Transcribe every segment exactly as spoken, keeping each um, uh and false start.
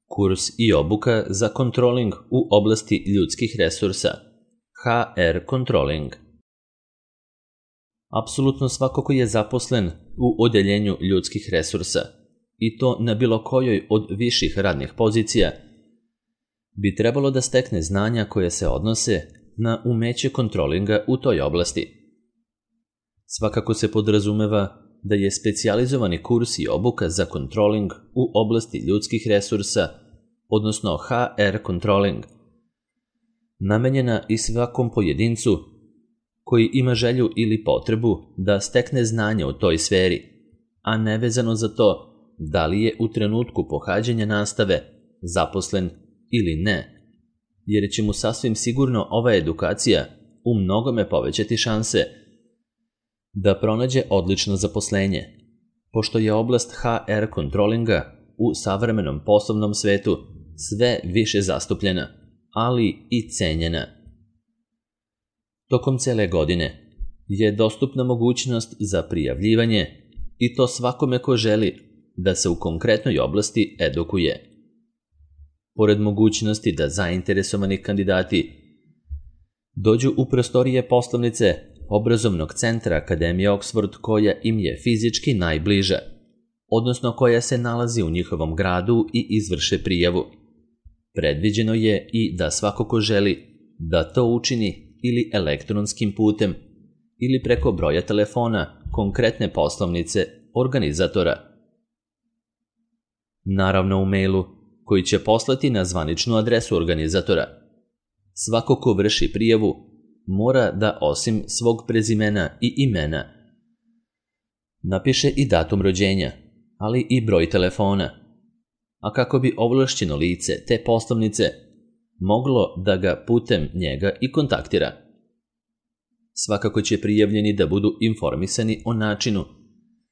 Kurs i obuka za kontroling u oblasti ljudskih resursa, H R Controlling. Apsolutno svako ko je zaposlen u odeljenju ljudskih resursa, i to na bilo kojoj od viših radnih pozicija, bi trebalo da stekne znanja koje se odnose na umeće kontrolinga u toj oblasti. Svakako se podrazumeva da je specijalizovani kurs i obuka za kontroling u oblasti ljudskih resursa, odnosno H R Controlling, namenjena i svakom pojedincu koji ima želju ili potrebu da stekne znanje u toj sferi, a nevezano za to da li je u trenutku pohađanja nastave zaposlen ili ne, jer će mu sasvim sigurno ova edukacija u mnogome povećati šanse da pronađe odlično zaposlenje, pošto je oblast H R Controllinga u savremenom poslovnom svetu sve više zastupljena, ali i cenjena. Tokom cele godine je dostupna mogućnost za prijavljivanje i to svakome ko želi da se u konkretnoj oblasti edukuje. Pored mogućnosti da zainteresovani kandidati dođu u prostorije poslovnice obrazovnog centra Akademije Oxford koja im je fizički najbliža, odnosno koja se nalazi u njihovom gradu i izvrše prijavu. Predviđeno je i da svako ko želi da to učini ili elektronskim putem ili preko broja telefona konkretne poslovnice organizatora. Naravno u mailu koji će poslati na zvaničnu adresu organizatora. Svako ko vrši prijavu mora da osim svog prezimena i imena napiše i datum rođenja, ali i broj telefona, a kako bi ovlašćeno lice te poslovnice moglo da ga putem njega i kontaktira. Svakako će prijavljeni da budu informisani o načinu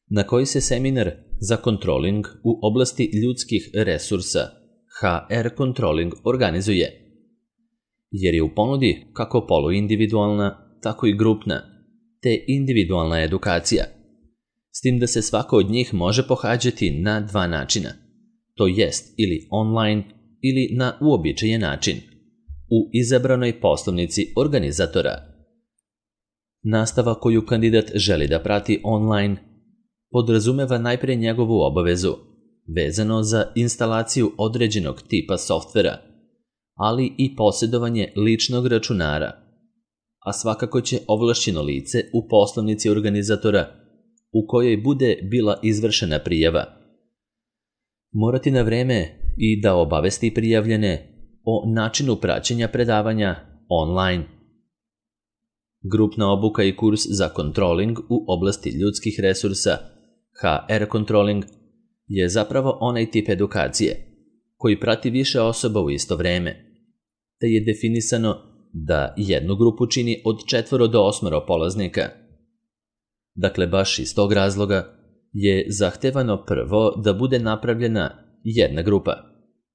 na koji se seminar za kontroling u oblasti ljudskih resursa H R Controlling organizuje, jer je u ponudi kako poluindividualna, tako i grupna, te individualna edukacija, s tim da se svako od njih može pohađati na dva načina, to jest ili online ili na uobičajen način, u izabranoj poslovnici organizatora. Nastava koju kandidat želi da prati online podrazumeva najpre njegovu obavezu vezano za instalaciju određenog tipa softvera, ali i posjedovanje ličnog računara, a svakako će ovlašćeno lice u poslovnici organizatora u kojoj bude bila izvršena prijava morati na vreme i da obavesti prijavljene o načinu praćenja predavanja online. Grupna obuka i kurs za kontroling u oblasti ljudskih resursa H R Controlling je zapravo onaj tip edukacije koji prati više osoba u isto vreme, te je definisano da jednu grupu čini od četvoro do osmoro polaznika. Dakle, baš iz tog razloga je zahtevano prvo da bude napravljena jedna grupa,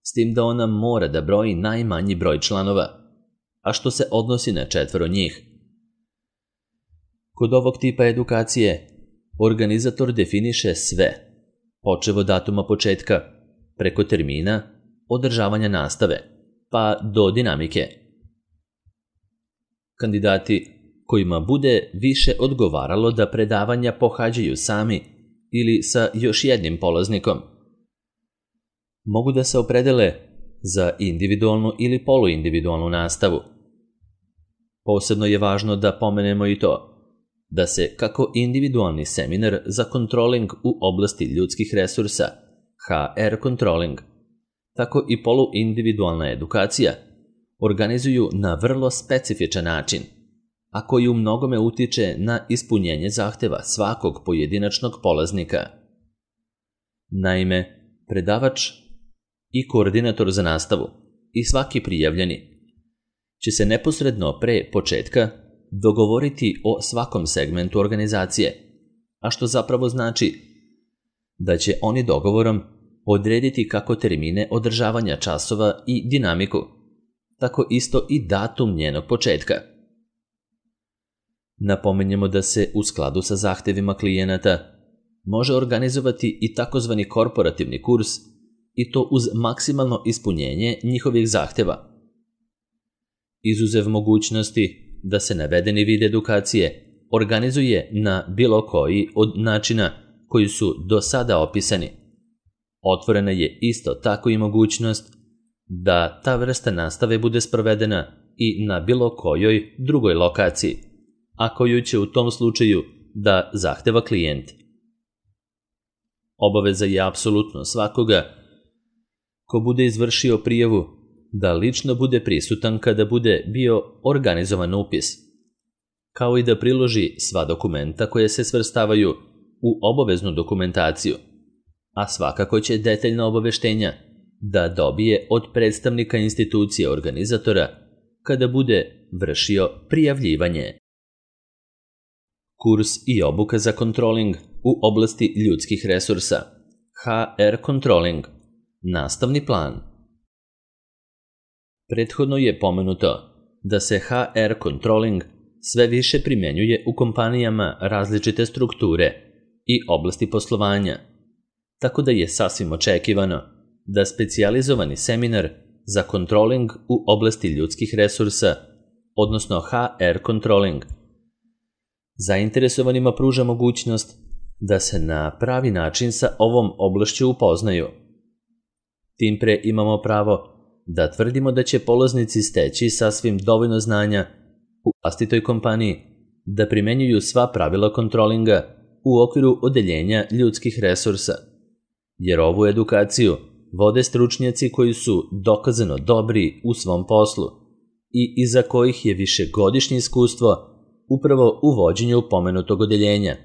s tim da ona mora da broji najmanji broj članova, a što se odnosi na četvoro njih. Kod ovog tipa edukacije organizator definiše sve, počev od datuma početka, preko termina, održavanja nastave, pa do dinamike. Kandidati kojima bude više odgovaralo da predavanja pohađaju sami ili sa još jednim polaznikom, mogu da se opredele za individualnu ili poluindividualnu nastavu. Posebno je važno da pomenemo i to da se kako individualni seminar za kontroling u oblasti ljudskih resursa H R Controlling, tako i poluindividualna edukacija organizuju na vrlo specifičan način, a koji u mnogome utiče na ispunjenje zahteva svakog pojedinačnog polaznika. Naime, predavač i koordinator za nastavu i svaki prijavljeni će se neposredno pre početka dogovoriti o svakom segmentu organizacije, a što zapravo znači da će oni dogovorom odrediti kako termine održavanja časova i dinamiku, tako isto i datum njenog početka. Napomenjemo da se u skladu sa zahtevima klijenata može organizovati i takozvani korporativni kurs i to uz maksimalno ispunjenje njihovih zahtjeva. Izuzev mogućnosti da se navedeni vid edukacije organizuje na bilo koji od načina koji su do sada opisani. Otvorena je isto tako i mogućnost da ta vrsta nastave bude sprovedena i na bilo kojoj drugoj lokaciji, a koju će u tom slučaju da zahteva klijent. Obaveza je apsolutno svakoga ko bude izvršio prijavu da lično bude prisutan kada bude bio organizovan upis, kao i da priloži sva dokumenta koje se svrstavaju u obaveznu dokumentaciju, a svakako će detaljna obaveštenja da dobije od predstavnika institucije organizatora kada bude vršio prijavljivanje. Kurs i obuka za kontroling u oblasti ljudskih resursa, H R Controlling, nastavni plan. Prethodno je pomenuto da se H R Controlling sve više primjenjuje u kompanijama različite strukture i oblasti poslovanja, tako da je sasvim očekivano da specijalizovani seminar za kontroling u oblasti ljudskih resursa, odnosno H R Controlling, zainteresovanima pruža mogućnost da se na pravi način sa ovom oblašću upoznaju. Tim pre imamo pravo da tvrdimo da će polaznici steći sasvim dovoljno znanja u vlastitoj kompaniji da primenjuju sva pravila kontrolinga u okviru odeljenja ljudskih resursa, jer ovu edukaciju vode stručnjaci koji su dokazano dobri u svom poslu i iza kojih je višegodišnje iskustvo upravo u vođenju pomenutog odeljenja,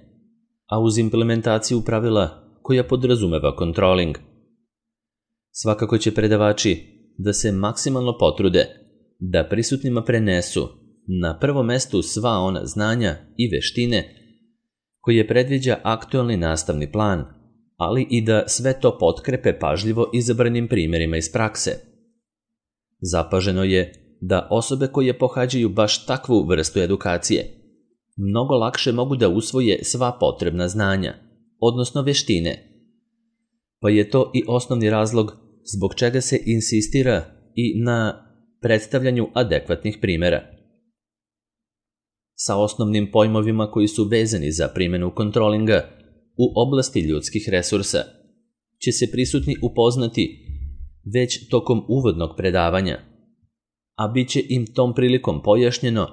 a uz implementaciju pravila koja podrazumeva kontroling. Svakako će predavači da se maksimalno potrude da prisutnima prenesu na prvom mestu sva ona znanja i veštine koje predviđa aktualni nastavni plan, ali i da sve to potkrepe pažljivo izabranim primjerima iz prakse. Zapaženo je da osobe koje pohađaju baš takvu vrstu edukacije mnogo lakše mogu da usvoje sva potrebna znanja, odnosno veštine, pa je to i osnovni razlog zbog čega se insistira i na predstavljanju adekvatnih primjera. Sa osnovnim pojmovima koji su vezani za primjenu kontrolinga u oblasti ljudskih resursa će se prisutni upoznati već tokom uvodnog predavanja, a bit će im tom prilikom pojašnjeno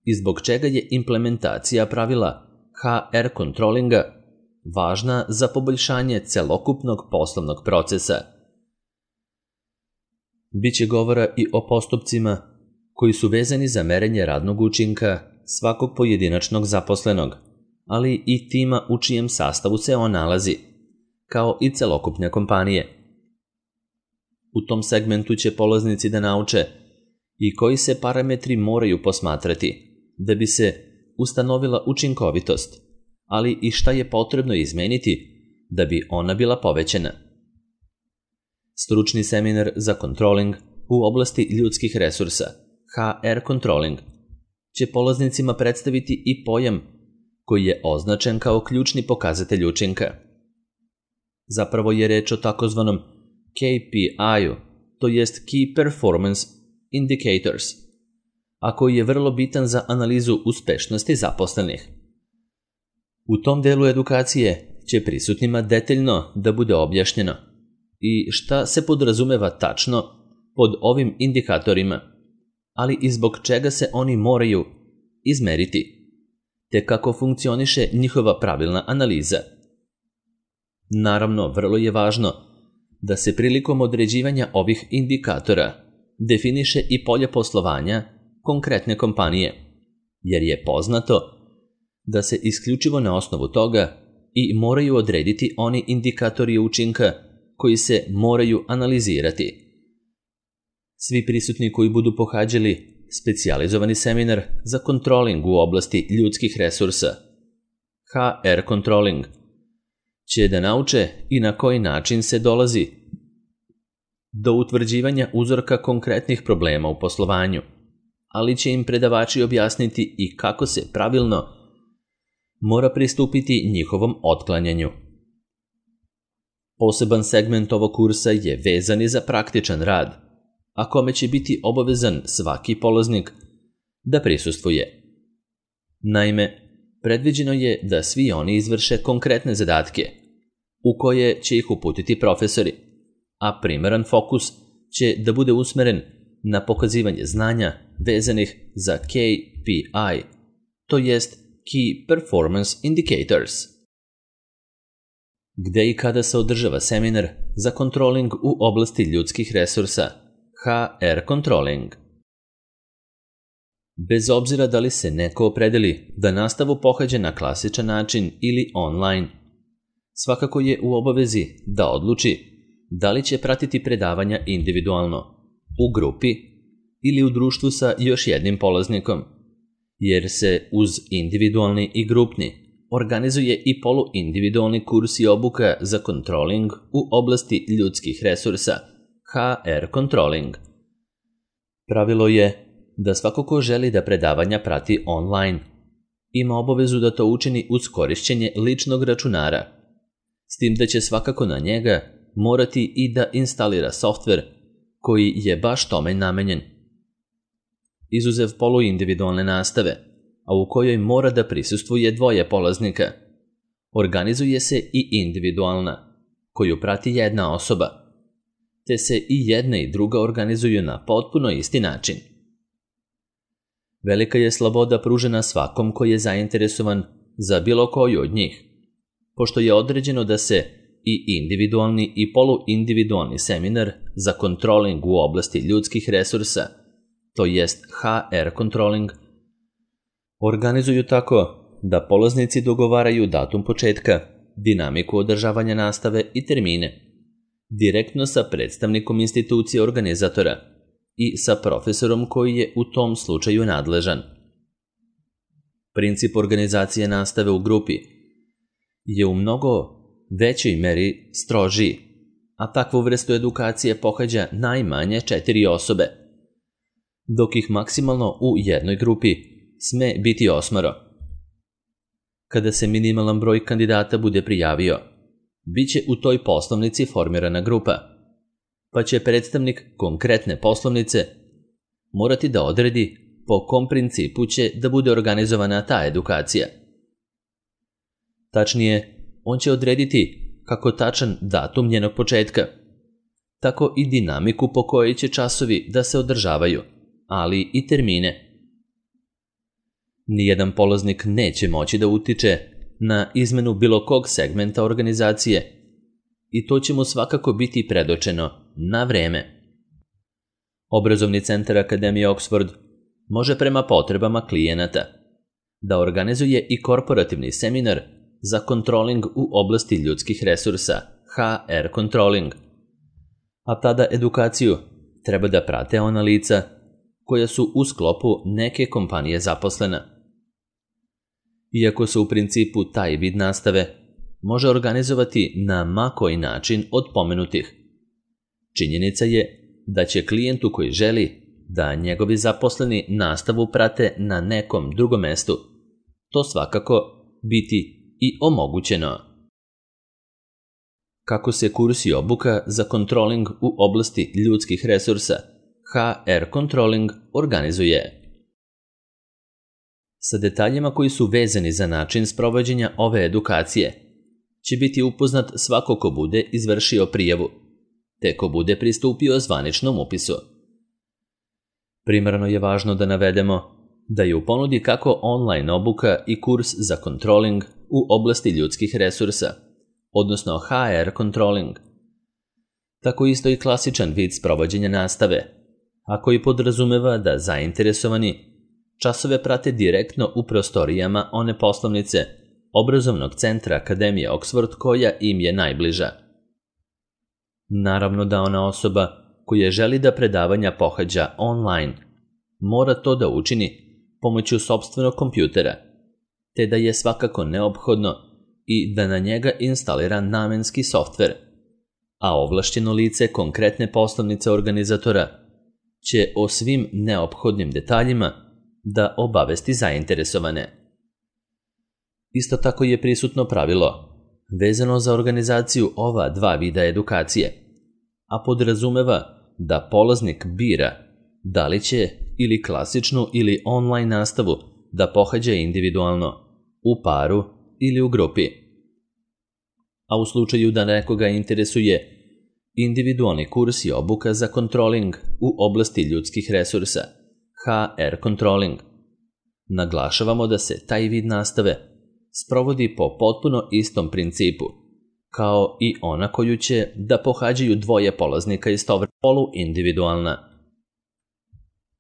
i zbog čega je implementacija pravila H R Controllinga važna za poboljšanje celokupnog poslovnog procesa. Biće govora i o postupcima koji su vezani za merenje radnog učinka svakog pojedinačnog zaposlenog, ali i tima u čijem sastavu se on nalazi, kao i celokupne kompanije. U tom segmentu će polaznici da nauče i koji se parametri moraju posmatrati da bi se ustanovila učinkovitost, ali i šta je potrebno izmeniti da bi ona bila povećana. Stručni seminar za kontroling u oblasti ljudskih resursa, H R Controlling, će polaznicima predstaviti i pojam koji je označen kao ključni pokazatelj učinka. Zapravo je reč o takozvanom K P I-u, to jest Key Performance Indicators, a koji je vrlo bitan za analizu uspešnosti zaposlenih. U tom delu edukacije će prisutnima detaljno da bude objašnjeno i šta se podrazumeva tačno pod ovim indikatorima, ali i zbog čega se oni moraju izmeriti, te kako funkcioniše njihova pravilna analiza. Naravno, vrlo je važno da se prilikom određivanja ovih indikatora definiše i polje poslovanja konkretne kompanije, jer je poznato da se isključivo na osnovu toga i moraju odrediti oni indikatori učinka koji se moraju analizirati. Svi prisutni koji budu pohađali specijalizovani seminar za kontroling u oblasti ljudskih resursa, H R Controlling, će da nauče i na koji način se dolazi do utvrđivanja uzorka konkretnih problema u poslovanju, ali će im predavači objasniti i kako se pravilno mora pristupiti njihovom otklanjanju. Poseban segment ovog kursa je vezan i za praktičan rad, a kome će biti obavezan svaki polaznik da prisustvuje. Naime, predviđeno je da svi oni izvrše konkretne zadatke, u koje će ih uputiti profesori, a primaran fokus će da bude usmeren na pokazivanje znanja vezanih za K P I, to jest Key Performance Indicators. Gde i kada se održava seminar za kontroling u oblasti ljudskih resursa, H R Controlling. Bez obzira da li se neko opredeli da nastavu pohađa na klasičan način ili online, svakako je u obavezi da odluči da li će pratiti predavanja individualno, u grupi ili u društvu sa još jednim polaznikom, jer se uz individualni i grupni organizuje i poluindividualni kurs i obuka za kontroling u oblasti ljudskih resursa, H R Controlling. Pravilo je da svako ko želi da predavanja prati online ima obavezu da to učini uz korišćenje ličnog računara, s tim da će svakako na njega morati i da instalira softver koji je baš tome namenjen. Izuzev poluindividualne nastave, a u kojoj mora da prisustvuje dvoje polaznika, organizuje se i individualna, koju prati jedna osoba, te se i jedna i druga organizuju na potpuno isti način. Velika je sloboda pružena svakom koji je zainteresovan za bilo koju od njih, pošto je određeno da se i individualni i poluindividualni seminar za kontroling u oblasti ljudskih resursa, to jest H R Controlling, organizuju tako da polaznici dogovaraju datum početka, dinamiku održavanja nastave i termine, direktno sa predstavnikom institucije organizatora i sa profesorom koji je u tom slučaju nadležan. Princip organizacije nastave u grupi je u mnogo većoj meri strožiji, a takvu vrstu edukacije pohađa najmanje četiri osobe, dok ih maksimalno u jednoj grupi sme biti osmoro. Kada se minimalan broj kandidata bude prijavio, bit će u toj poslovnici formirana grupa, pa će predstavnik konkretne poslovnice morati da odredi po kom principu će da bude organizovana ta edukacija. Tačnije, on će odrediti kako tačan datum njenog početka, tako i dinamiku po kojoj će časovi da se održavaju, ali i termine. Nijedan polaznik neće moći da utiče na izmenu bilo kog segmenta organizacije i to će mu svakako biti predočeno na vreme. Obrazovni centar Akademije Oxford može prema potrebama klijenata da organizuje i korporativni seminar za kontroling u oblasti ljudskih resursa, H R Controlling, a tada edukaciju treba da prate ona lica koja su u sklopu neke kompanije zaposlena. Iako se u principu taj vid nastave može organizovati na ma koji način od pomenutih, činjenica je da će klijentu koji želi da njegovi zaposleni nastavu prate na nekom drugom mestu to svakako biti i omogućeno. Kako se kurs i obuka za kontroling u oblasti ljudskih resursa, H R Controlling, organizuje? Sa detaljima koji su vezani za način sprovođenja ove edukacije će biti upoznat svako ko bude izvršio prijavu, te ko bude pristupio zvaničnom upisu. Primarno je važno da navedemo da je u ponudi kako online obuka i kurs za kontroling u oblasti ljudskih resursa, odnosno H R Controlling, tako isto i klasičan vid sprovođenja nastave, a koji podrazumeva da zainteresovani časove prate direktno u prostorijama one poslovnice Obrazovnog centra Akademije Oxford koja im je najbliža. Naravno da ona osoba koja želi da predavanja pohađa online mora to da učini pomoću sopstvenog kompjutera, te da je svakako neophodno i da na njega instalira namenski softver, a ovlašćeno lice konkretne poslovnice organizatora će o svim neophodnim detaljima da obavesti zainteresovane. Isto tako je prisutno pravilo vezano za organizaciju ova dva vida edukacije, a podrazumeva da polaznik bira da li će ili klasičnu ili online nastavu da pohađa individualno, u paru ili u grupi. A u slučaju da nekoga interesuje individualni kurs i obuka za kontroling u oblasti ljudskih resursa, H R Controlling, naglašavamo da se taj vid nastave sprovodi po potpuno istom principu, kao i ona koju će da pohađaju dvoje polaznika istovremeno, poluindividualna.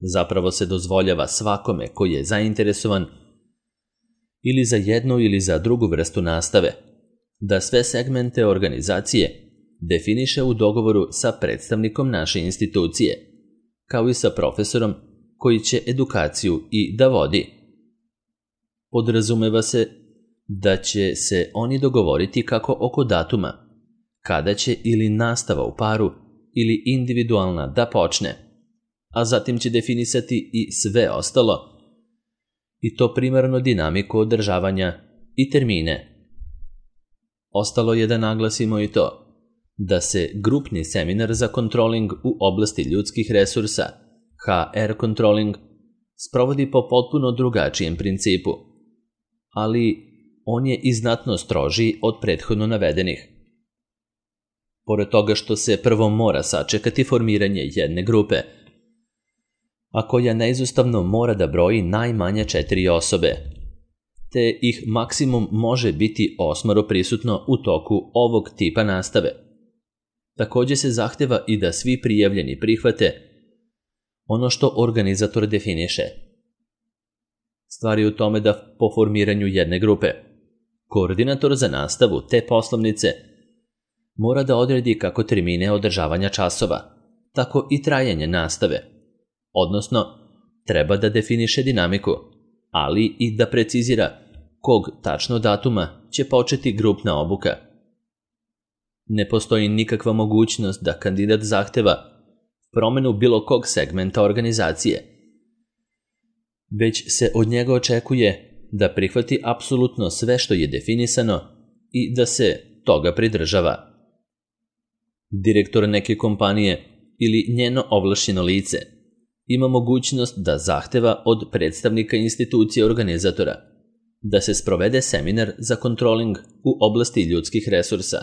Zapravo se dozvoljava svakome koji je zainteresovan ili za jednu ili za drugu vrstu nastave, da sve segmente organizacije definiše u dogovoru sa predstavnikom naše institucije, kao i sa profesorom koji će edukaciju i da vodi. Podrazumeva se da će se oni dogovoriti kako oko datuma, kada će ili nastava u paru ili individualna da počne, a zatim će definisati i sve ostalo, i to primarno dinamiku održavanja i termine. Ostalo je da naglasimo i to da se grupni seminar za kontroling u oblasti ljudskih resursa, H R Controlling, sprovodi po potpuno drugačijem principu, ali on je i znatno strožiji od prethodno navedenih. Pored toga što se prvo mora sačekati formiranje jedne grupe, a koja neizostavno mora da broji najmanje četiri osobe, te ih maksimum može biti osmoro prisutno u toku ovog tipa nastave. Takođe se zahteva i da svi prijavljeni prihvate ono što organizator definiše. Stvar je u tome da po formiranju jedne grupe, koordinator za nastavu te poslovnice mora da odredi kako termine održavanja časova, tako i trajanje nastave, odnosno treba da definiše dinamiku, ali i da precizira kog tačno datuma će početi grupna obuka. Ne postoji nikakva mogućnost da kandidat zahteva promenu bilo kog segmenta organizacije, već se od njega očekuje da prihvati apsolutno sve što je definisano i da se toga pridržava. Direktor neke kompanije ili njeno ovlašćeno lice ima mogućnost da zahteva od predstavnika institucije organizatora da se sprovede seminar za kontroling u oblasti ljudskih resursa,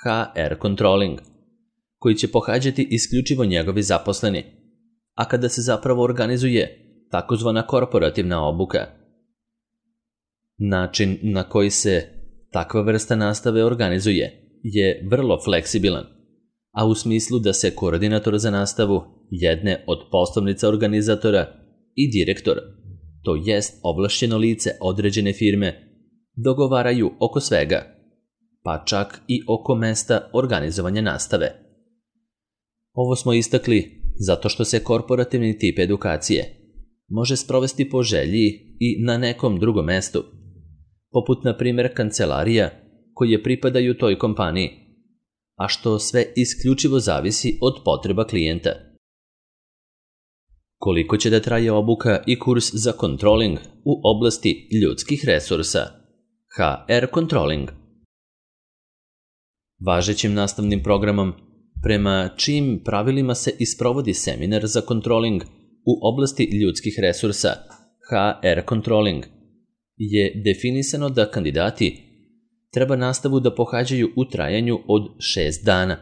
H R Controlling, koji će pohađati isključivo njegovi zaposleni, a kada se zapravo organizuje takozvana korporativna obuka. Način na koji se takva vrsta nastave organizuje je vrlo fleksibilan, a u smislu da se koordinator za nastavu jedne od poslovnica organizatora i direktor, to jest ovlašćeno lice određene firme, dogovaraju oko svega, pa čak i oko mesta organizovanja nastave. Ovo smo istakli zato što se korporativni tip edukacije može sprovesti po želji i na nekom drugom mestu, poput na primjer kancelarija koje pripadaju toj kompaniji, a što sve isključivo zavisi od potreba klijenta. Koliko će da traje obuka i kurs za kontroling u oblasti ljudskih resursa, H R Controlling? Važećim nastavnim programom, prema čijim pravilima se isprovodi seminar za kontroling u oblasti ljudskih resursa, H R Controlling, je definisano da kandidati treba nastavu da pohađaju u trajanju od šest dana.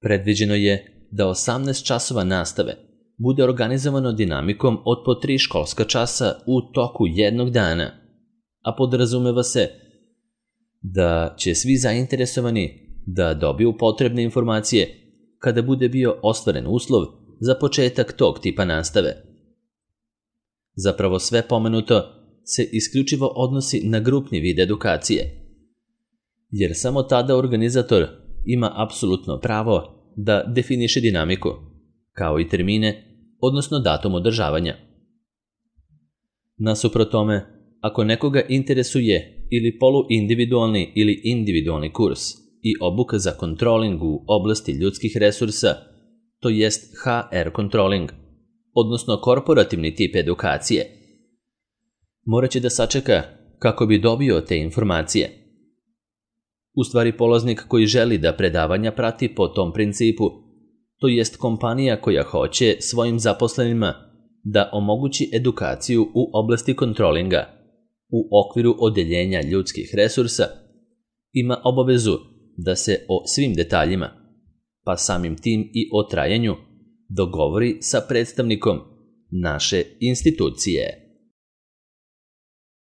Predviđeno je da osamnaest časova nastave bude organizovano dinamikom od po tri školska časa u toku jednog dana, a podrazumeva se da će svi zainteresovani da dobiju potrebne informacije kada bude bio ostvaren uslov za početak tog tipa nastave. Zapravo sve pomenuto se isključivo odnosi na grupni vid edukacije, jer samo tada organizator ima apsolutno pravo da definiše dinamiku, kao i termine, odnosno datum održavanja. Nasuprot tome, ako nekoga interesuje ili poluindividualni ili individualni kurs i obuka za kontroling u oblasti ljudskih resursa, to jest H R Controlling, odnosno korporativni tip edukacije, morat će da sačeka kako bi dobio te informacije. U stvari polaznik koji želi da predavanja prati po tom principu, to jest kompanija koja hoće svojim zaposlenima da omogući edukaciju u oblasti kontrolinga u okviru odeljenja ljudskih resursa, ima obavezu da se o svim detaljima, pa samim tim i o trajanju, dogovori sa predstavnikom naše institucije.